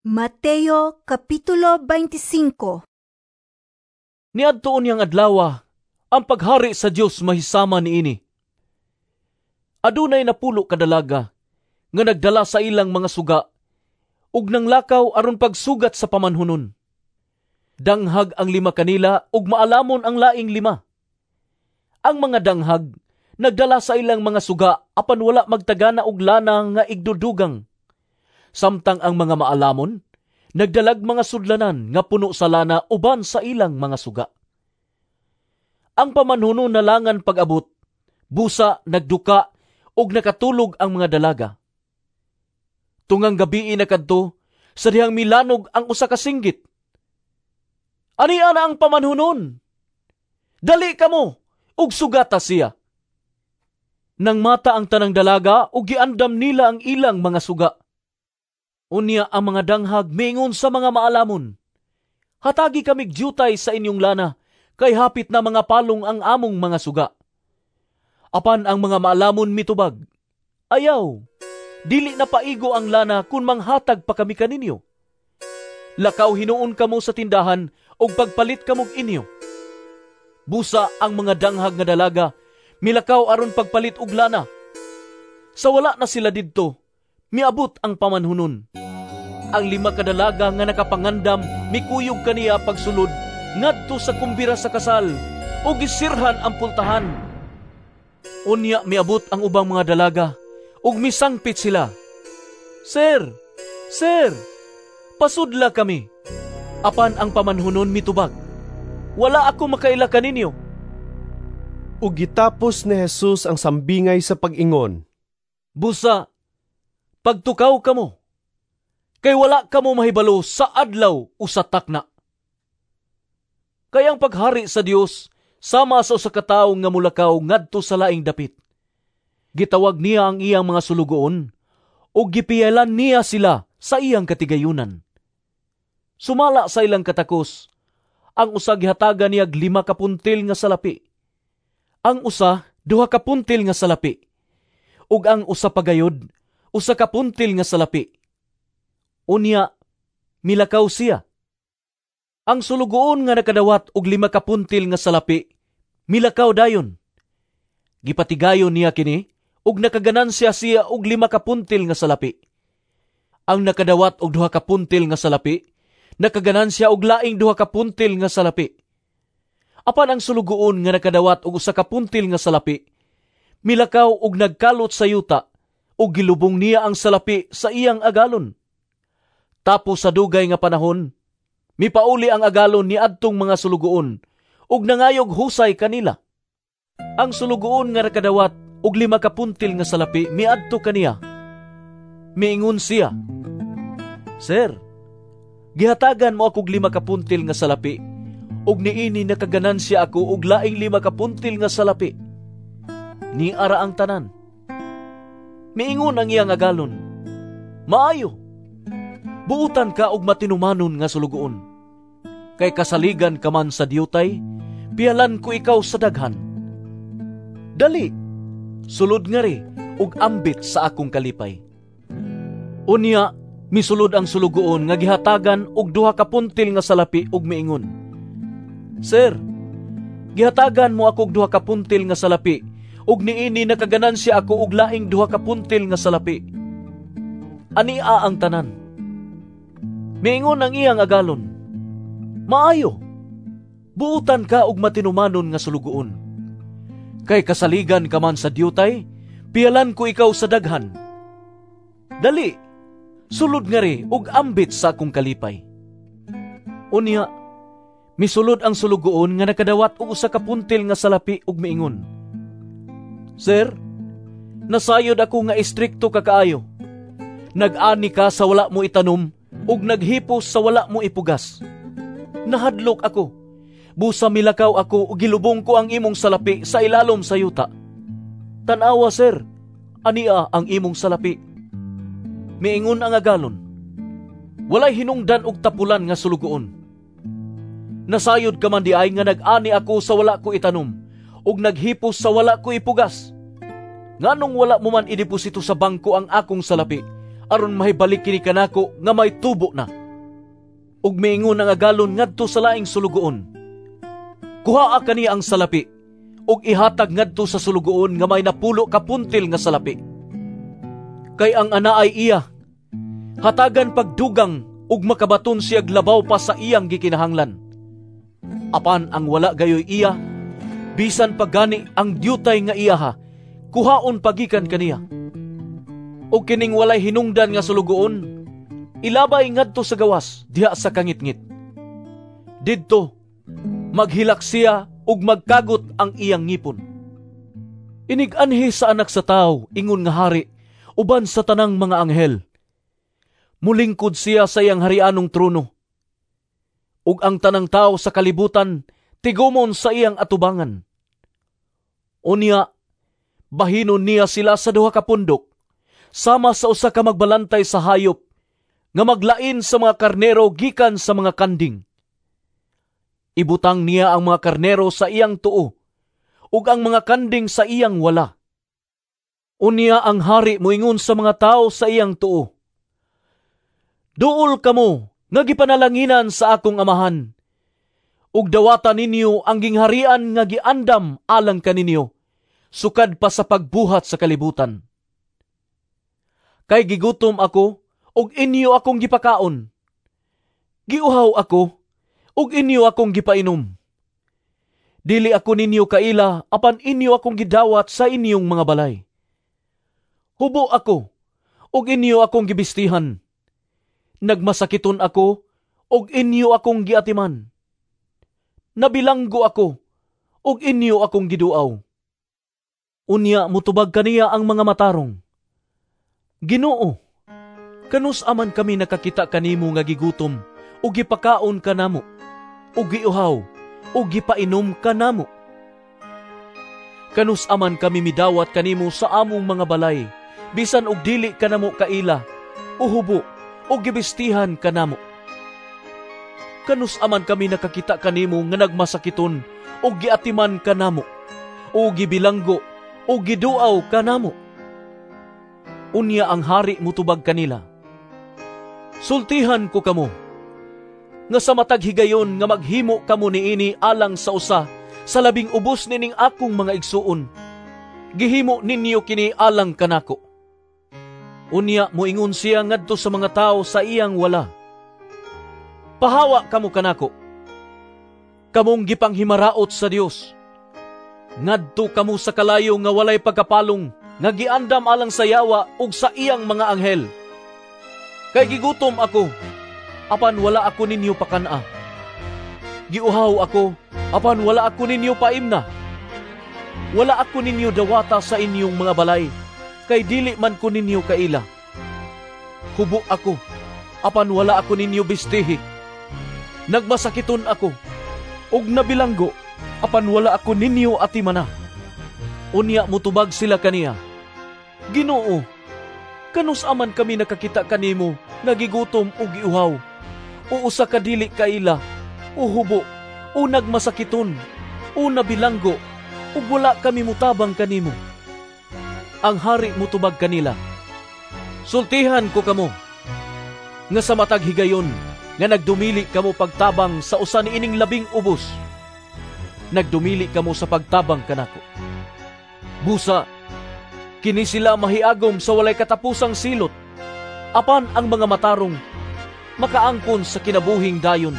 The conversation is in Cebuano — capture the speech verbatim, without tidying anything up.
Mateo Kapitulo beinte singko. Niadto unyang adlawa, ang paghari sa Dios mahisama niini. Adunay napulo ka dalaga nga nagdala sa ilang mga suga ug nanglakaw aron pagsugat sa pamanhunon. Danghag ang lima kanila ug maalamon ang laing lima. Ang mga danghag nagdala sa ilang mga suga apan wala magtagana og lana nga igdudugang. Samtang ang mga maalamon nagdalag mga sudlanan nga puno sa lana uban sa ilang mga suga. Ang pamanhunon nalangan pag-abot, busa nagduka ug nakatulog ang mga dalaga. Tungang gabii na kadto sa dihang milanog ang usa ka singgit: "Ania na ang pamanhunon! Dali kamo ug sugata siya." Nangmata ang tanang dalaga ug giandam nila ang ilang mga suga. Unya ang mga danghag miingon sa mga maalamon, "Hatagi kamig diutay sa inyong lana, kay hapit na mangapalong ang among mga suga." Apan ang mga maalamon mitubag, "Ayaw, dili na paigo ang lana kung manghatag pa kami kaninyo. Lakaw hinuon kamo sa tindahan ug pagpalit kamog inyo." Busa ang mga danghag nga dalaga milakaw aron pagpalit og lana. Sa wala na sila didto, miabot ang pamanhunon. Ang lima ka dalaga nga nakapangandam mikuyog kaniya pagsulod ngadto sa kumbira sa kasal ug gisirhan ang pultahan. Unya miabot ang ubang mga dalaga ug misangpit sila, "Sir, sir, pasudla kami." Apan ang pamanhunon mitubag, "Wala ako makaila kaninyo." Ug gitapos ni Jesus ang sambingay sa pag-ingon, "Busa, pagtukaw kamo, kay wala kamo mahibalo sa adlaw o sa takna. Kay ang paghari sa Dios sama sa usa ka tawo nga mulakaw ngadto sa laing dapit. Gitawag niya ang iyang mga sulugoon ug gipiyalan niya sila sa iyang katigayunan. Sumala sa ilang katakos, ang usa gihatagan niyag lima ka puntil nga salapi. Ang usa duha ka puntil nga salapi. Ug ang usa pa gayud usa ka puntil nga salapi. Unya milakaw siya. Ang sulugoon nga nakadawat og lima ka puntil nga salapi milakaw dayon. Gipatigayon niya kini ug nakaganansya siya og lima ka puntil nga salapi. Ang nakadawat og duha ka puntil nga salapi nakaganansya og laing duha ka puntil nga salapi. Apan ang sulugoon nga nakadawat og usa ka puntil nga salapi milakaw og nagkalot sa yuta ug gilubong niya ang salapi sa iyang agalon. Tapos sa dugay nga panahon, mipauli ang agalon ni adtong mga sulugoon ug nangayog husay kanila. Ang sulugoon nga nakadawat og lima ka puntil nga salapi miadto kaniya. Miingon siya, 'Sir, gihatagan mo akog lima ka puntil nga salapi ug niini nakaganansya ako og laing lima ka puntil nga salapi. Niara ang tanan.' Miingon ang iyang agalon, 'Maayo. Buutan ka og matinumanon nga sulugoon. Kay kasaligan ka man sa diutay, piyalan ko ikaw sa daghan. Dali, sulod ngari ug ambit sa akong kalipay.' Unya, misulod ang sulugoon nga gihatagan og duha ka puntil nga salapi ug miingon, 'Sir, gihatagan mo ako og duha ka puntil nga salapi ug niini nakaganansya ako og laing duha ka puntil nga salapi. Ania ang tanan.' Miingon ang iyang agalon, 'Maayo. Buutan ka og matinumanon nga sulugoon. Kay kasaligan ka man sa diutay, piyalan ko ikaw sa daghan. Dali, sulod ngari ug ambit sa akong kalipay.' Unya, misulod ang sulugoon nga nakadawat og usa ka puntil nga salapi ug miingon, 'Sir, nasayod ako nga istrikto ka kaayo. Nag-ani ka sa wala mo itanom ug naghipos sa wala mo ipugas. Nahadlok ako. Busa milakaw ako ug gilubong ko ang imong salapi sa ilalom sa yuta. Tan-awa, sir, ania ang imong salapi.' Miingon ang agalon, 'Walay hinungdan og tapulan nga sulugoon. Nasayod ka man diay nga nag-ani ako sa wala ko itanom ug naghipos sa wala ko ipugas. Nganong wala mo man ideposito sa bangko ang akong salapi aron mahibalik kini kanako nga may tubo na." Ug miingon ang agalon ngadto sa laing sulugoon, "Kuhaa kaniya ang salapi ug ihatag ngadto sa sulugoon nga may napulo ka puntil nga salapi. Kay ang anaay iya, hatagan pagdugang ug makabaton siyag labaw pa sa iyang gikinahanglan. Apan ang wala gayoy iya, bisan pa gani ang diutay nga iyaha, kuhaon pa gikan kaniya. Ug kining walay hinungdan nga sulugoon, ilabay ngadto sa gawas diha sa kangitngit. Didto maghilak siya ug magkagot ang iyang ngipon." Inig-anhi sa Anak sa Tawo ingon nga hari uban sa tanang mga anghel, mulingkod siya sa iyang harianong trono. Ug ang tanang tawo sa kalibutan tigumon sa iyang atubangan. Unya, bahinon niya sila sa duha ka pundok, sama sa usa ka magbalantay sa hayop nga maglain sa mga karnero gikan sa mga kanding. Ibutang niya ang mga karnero sa iyang tuo, ug ang mga kanding sa iyang wala. Unya ang hari moingon sa mga tawo sa iyang tuo, "Duol kamo nga gipanalanginan sa akong amahan, ug dawata ninyo ang gingharian nga giandam alang kaninyo, sukad pa sa pagbuhat sa kalibutan. Kay gigutom ako, ug inyo akong gipakaon. Giuhaw ako, ug inyo akong gipainom. Dili ako ninyo kaila, apan inyo akong gidawat sa inyong mga balay. Hubo ako, ug inyo akong gibistihan. Nagmasakiton ako, ug inyo akong giatiman. Nabilanggo ako, ug inyo akong giduaw." Unya mutubag kaniya ang mga matarong, "Ginoo, kanus aman kami nakakita kanimo nga gigutom, ug gipakaon ka namo, ug giuhaw, ug gipainom ka namo? Kanus aman kami midawat kanimo sa among mga balay, bisan og dili ka namo kaila, o hubo, ug gibistihan ka namo? Kanus aman kami nakakita kanimo nga nagmasakiton, ug giatiman ka namo, o gibilanggo, ug giduaw ka namo?" Unya ang hari mutubag kanila, "Sultihan ko kamo, nga sa matag higayon nga maghimo kamo niini alang sa usa sa labing ubos nining akong mga igsuon, gihimo ninyo kini alang kanako." Unya moingon siya ngadto sa mga tawo sa iyang wala, "Pahawa kamo kanako, kamong gipanghimaraot sa Dios. Ngadto kamo sa kalayo nga walay pagkapalong, nga giandam alang sa yawa ug sa iyang mga anghel. Kay gigutom ako, apan wala ako ninyo pakan-a. Giuhaw ako, apan wala ako ninyo paimna. Wala ako ninyo dawata sa inyong mga balay, kay dili man ko ninyo kaila. Hubo ako, apan wala ako ninyo bistihi. Nagmasakiton ako, ug nabilanggo, apan wala ako ninyo atimana." Unya mutubag sila kaniya, "Ginoo, kanus aman kami nakakita kanimo nga gigutom o giuhaw, o usa ka dili kaila, o hubo, o nagmasakiton, o nabilanggo, ug wala kami mutabang kanimo?" Ang hari mutubag kanila, "Sultihan ko kamo, nga sa matag higayon nga nagdumili kamo pagtabang sa usa niining labing ubos, nagdumili kamo sa pagtabang kanako. Busa, kini sila mahiagom sa walay katapusang silot, apan ang mga matarong makaangkon sa kinabuhing dayon."